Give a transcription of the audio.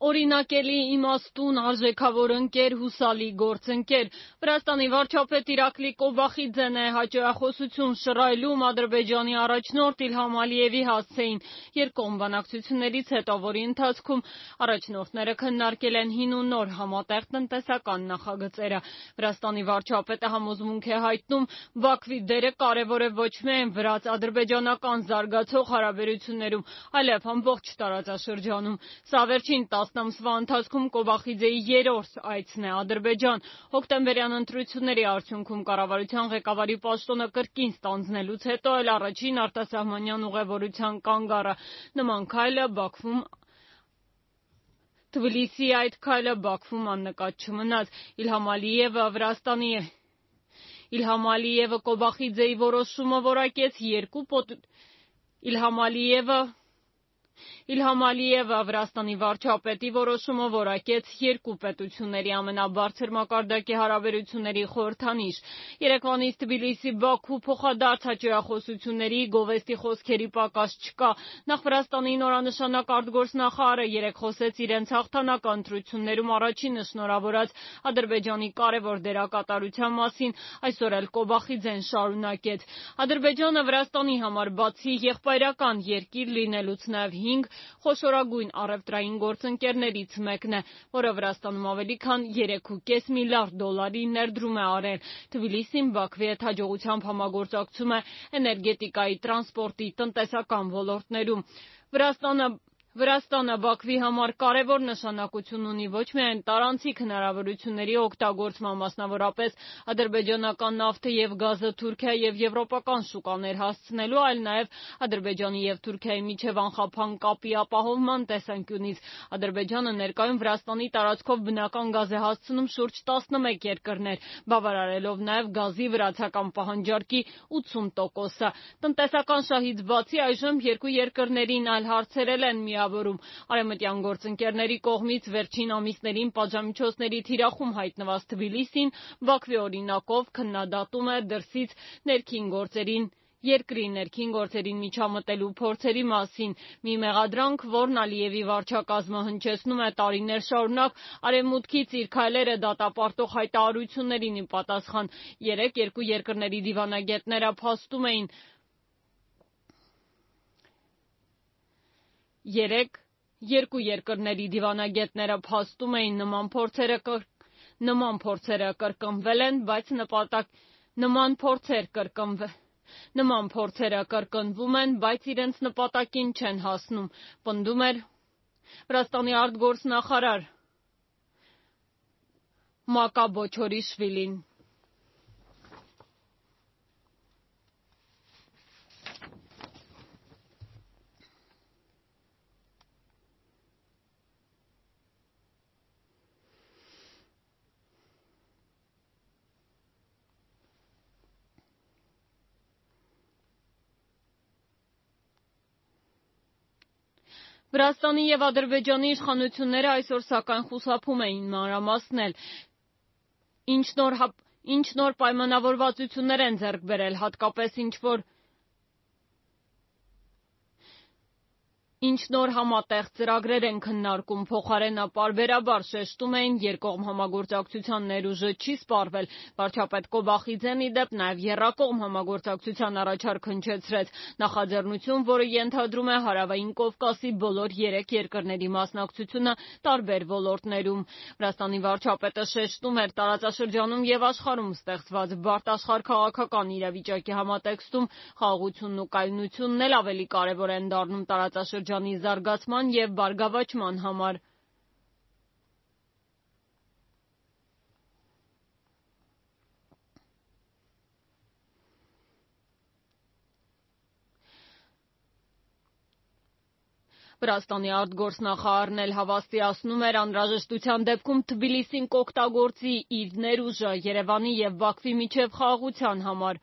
Օրինակելի, իմաստուն, արժեքավոր ընկեր, հուսալի գործընկեր։ Վրաստանի վարչապետ Իրակլի Կոբախիձեն է հաջողախոսություն շռայլում Ադրբեջանի առաջնորդ Իլհամ Ալիևի հասցեին երկկողմ բանակցություններից հետո, որի ընթացքում առաջնորդները քննարկել են հին ու նոր համատեղ տնտեսական նախագծերը։ Վրաստանի վարչապետը համոզմունք է հայտնում, Բաքվի դերը կարևոր է ոչ միայն վրաց-ադրբեջանական զարգացող հարաբերություններում, այլև ամբողջ տարածաշրջանում։ Սա վերջին 10 ամսվա ընթացքում Կոբախիձեի երրորդ այցն է Ադրբեջան։ Հոկտեմբերյան ընտրությունների արդյունքում կառավարության ղեկավարի պաշտոնը կրկին ստանձնելուց հետո էլ առաջին արտասահմանյան ուղևորության կանգառը։ Նման քայլը Թբիլիսիի այդ քայլը Բաքվում աննկատ չմնաց։ Իլհամ Ալիևը Կոբախիձեի որոշումը Իլհամ Ալիևը Վրաստանի վարչապետի որոշումը որակեց երկու պետությունների ամենաբարձր մակարդակի հարաբերությունների խորհրդանիշ։ Երեկվանից Թբիլիսի-Բաքու փոխադարձ հաջողախոսությունների, գովեստի խոսքերի պակաս չկա։ Նախ Վրաստանի նորանշանակ արտգործնախարարը երեկ խոսեց իրենց հաղթանակը ընտրություններում առաջինը շնորհավորած Ադրբեջանի կարևոր դերակատարության մասին, այսօր էլ Կոբախիձեն շարունակեց։ Ադրբեջանը Վրաստանի համար բացի եղբայրական երկիր լինելուց նաև 5 խոշորագույն առևտրային գործընկերներից մեկն է, որը Վրաստանում ավելի քան 3.5 միլիարդ դոլարի ներդրում է արել։ Թբիլիսին Բաքվի հետ հաջողությամբ համագործակցում է էներգետիկայի, տրանսպորտի, տնտեսական ոլորտներում։ Վրաստանը Բաքվի համար կարևոր նշանակություն ունի ոչ միայն տարանցիկ հնարավորությունների օգտագործման, մասնավորապես ադրբեջանական նավթը և գազը Թուրքիա և եվրոպական շուկաներ հասցնելու, այլ նաև Ադրբեջանի և Թուրքիայի միջև անխափան կապի ապահովման տեսանկյունից։ Ադրբեջանը ներկայում Վրաստանի տարածքով բնական գազ է հասցնում շուրջ 11 երկրներ, բավարարելով նաև գազի վրացական պահանջարկի 80%-ը։ Տնտեսական շահից բացի այժմ երկու երկրներին այլ հարցեր էլ են միավորում։ Արևմտյան գործընկերների կողմից վերջին ամիսներին պատժամիջոցների թիրախում հայտնված Թբիլիսին Բաքվի օրինակով քննադատում է դրսից երկրի ներքին գործերին միջամտելու փորձերի մասին։ Մի մեղադրանք, որն Ալիևի վարչակազմը հնչեցնում է տարիներ շարունակ, Արևմուտքից իր քայլերը դատապարտող հայտարարություններին ի պատասխան։ Երեկ երկու երկրների դիվանագետները փաստում էին նման փորձերը կրկնվում են, բայց իրենց նպատակին չեն հասնում, պնդում էր Վրաստանի արտգործնախարար Մակա Բոչորիշվիլին։ Վրաստանի և Ադրբեջանի իշխանությունները այսօր սակայն խուսափում էին մանրամասնել, ինչ նոր պայմանավորվածություններ են ձեռք բերել, հատկապես ինչ նոր համատեղ ծրագրեր են քննարկում, փոխարենը պարբերաբար շեշտում էին երկկողմ համագործակցության ներուժը չի սպառվել։ Վարչապետ Կոբախիձեն ի դեպ նաև եռակողմ համագործակցության առաջարկ հնչեցրեց, նախաձեռնություն, որը ենթադրում է Հարավային Կովկասի բոլոր 3 երկրների մասնակցությունը տարբեր ոլորտներում։ Վրաստանի վարչապետը շեշտում էր տարածաշրջանում և աշխարհում ստեղծված բարդ աշխարհաքաղաքական իրավիճակի համատեքստում խաղաղությունն ու կայունությունն էլ ավելի կարևոր են դառնում տարածաշրջանի զարգացման և բարգավաճման համար։ Վրաստանի արտգործնախարարն էլ հավաստիացնում էր անհրաժեշտության դեպքում Թբիլիսին կօգտագործի իր ներուժը Երևանի և Բաքվի միջև խաղաղության համար։